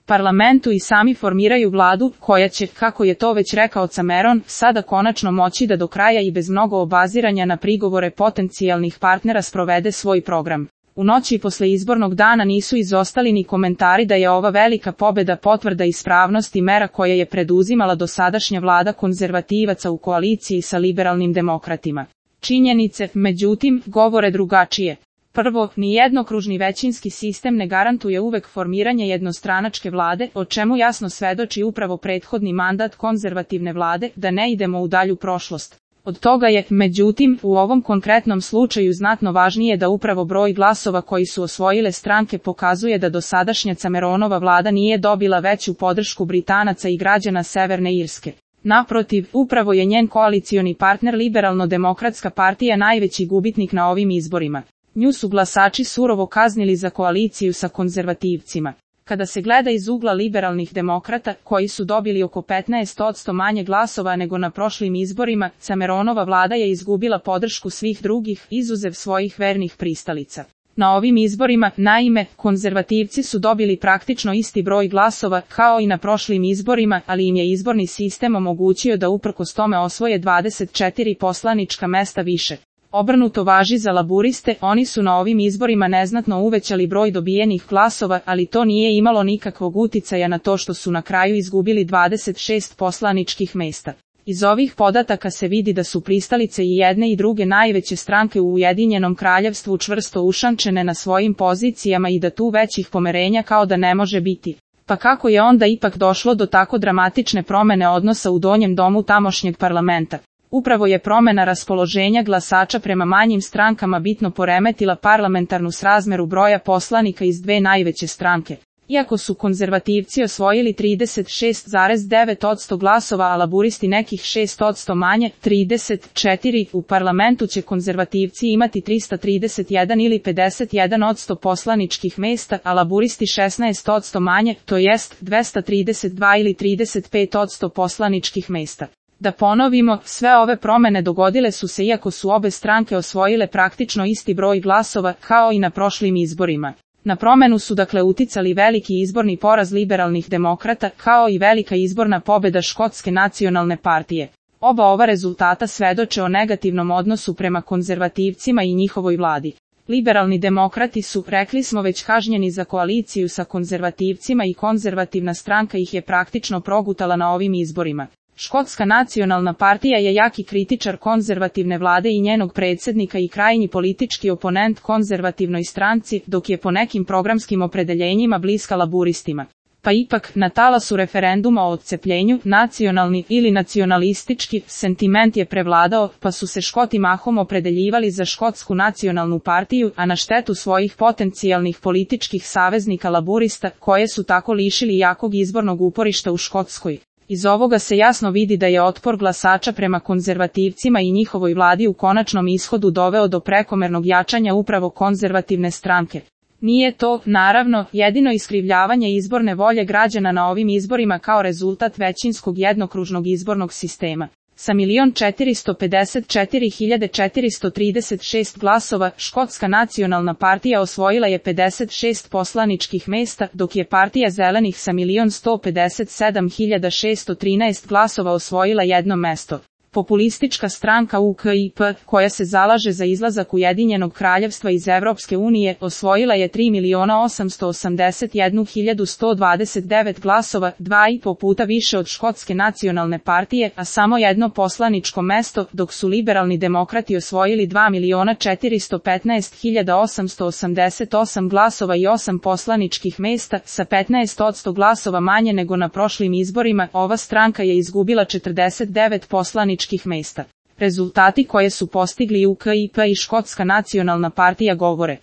parlamentu i sami formiraju vladu, koja će, kako je to već rekao Cameron, sada konačno moći da do kraja i bez mnogo obaziranja na prigovore potencijalnih partnera sprovede svoj program. U noći posle izbornog dana nisu izostali ni komentari da je ova velika pobeda potvrda ispravnosti mera koje je preduzimala dosadašnja vlada konzervativaca u koaliciji sa liberalnim demokratima. Činjenice, međutim, govore drugačije. Prvo, ni jednokružni većinski sistem ne garantuje uvek formiranje jednostranačke vlade, o čemu jasno svedoči upravo prethodni mandat konzervativne vlade, da ne idemo u dalju prošlost. Od toga je, međutim, u ovom konkretnom slučaju znatno važnije da upravo broj glasova koji su osvojile stranke pokazuje da dosadašnja Cameronova vlada nije dobila veću podršku Britanaca i građana Severne Irske. Naprotiv, upravo je njen koalicioni partner Liberalno-demokratska partija najveći gubitnik na ovim izborima. Nju su glasači surovo kaznili za koaliciju sa konzervativcima. Kada se gleda iz ugla liberalnih demokrata, koji su dobili oko 15% manje glasova nego na prošlim izborima, Cameronova vlada je izgubila podršku svih drugih, izuzev svojih vernih pristalica. Na ovim izborima, naime, konzervativci su dobili praktično isti broj glasova kao i na prošlim izborima, ali im je izborni sistem omogućio da uprkos tome osvoje 24 poslanička mesta više. Obrnuto važi za laburiste, oni su na ovim izborima neznatno uvećali broj dobijenih glasova, ali to nije imalo nikakvog uticaja na to što su na kraju izgubili 26 poslaničkih mesta. Iz ovih podataka se vidi da su pristalice i jedne i druge najveće stranke u Ujedinjenom kraljevstvu čvrsto ušančene na svojim pozicijama i da tu većih pomerenja kao da ne može biti. Pa kako je onda ipak došlo do tako dramatične promene odnosa u donjem domu tamošnjeg parlamenta? Upravo je promena raspoloženja glasača prema manjim strankama bitno poremetila parlamentarnu srazmeru broja poslanika iz dve najveće stranke. Iako su konzervativci osvojili 36,9% glasova, a laburisti nekih 6% manje, 34, u parlamentu će konzervativci imati 331 ili 51% poslaničkih mesta, a laburisti 16% manje, to jest 232 ili 35% poslaničkih mesta. Da ponovimo, sve ove promene dogodile su se iako su obe stranke osvojile praktično isti broj glasova, kao i na prošlim izborima. Na promenu su dakle uticali veliki izborni poraz liberalnih demokrata, kao i velika izborna pobeda Škotske nacionalne partije. Oba ova rezultata svedoče o negativnom odnosu prema konzervativcima i njihovoj vladi. Liberalni demokrati su, rekli smo, već kažnjeni za koaliciju sa konzervativcima i konzervativna stranka ih je praktično progutala na ovim izborima. Škotska nacionalna partija je jaki kritičar konzervativne vlade i njenog predsjednika i krajnji politički oponent konzervativnoj stranci, dok je po nekim programskim opredeljenjima bliska laburistima. Pa ipak, na talasu referenduma o odcepljenju, nacionalni ili nacionalistički sentiment je prevladao, pa su se Škoti mahom opredeljivali za Škotsku nacionalnu partiju, a na štetu svojih potencijalnih političkih saveznika laburista, koje su tako lišili jakog izbornog uporišta u Škotskoj. Iz ovoga se jasno vidi da je otpor glasača prema konzervativcima i njihovoj vladi u konačnom ishodu doveo do prekomernog jačanja upravo konzervativne stranke. Nije to, naravno, jedino iskrivljavanje izborne volje građana na ovim izborima kao rezultat većinskog jednokružnog izbornog sistema. Sa 1.454.436 glasova, Škotska nacionalna partija osvojila je 56 poslaničkih mesta, dok je partija zelenih sa 1.157.613 glasova osvojila jedno mesto. Populistička stranka UKIP, koja se zalaže za izlazak Ujedinjenog kraljevstva iz Evropske unije, osvojila je 3.881.129 glasova, 2,5 puta više od Škotske nacionalne partije, a samo jedno poslaničko mesto, dok su liberalni demokrati osvojili 2.415.888 glasova i 8 poslaničkih mesta, sa 15% glasova manje nego na prošlim izborima. Ova stranka je izgubila 49 poslaničkih mesta. Rezultati koje su postigli UKIP i Škotska nacionalna partija govore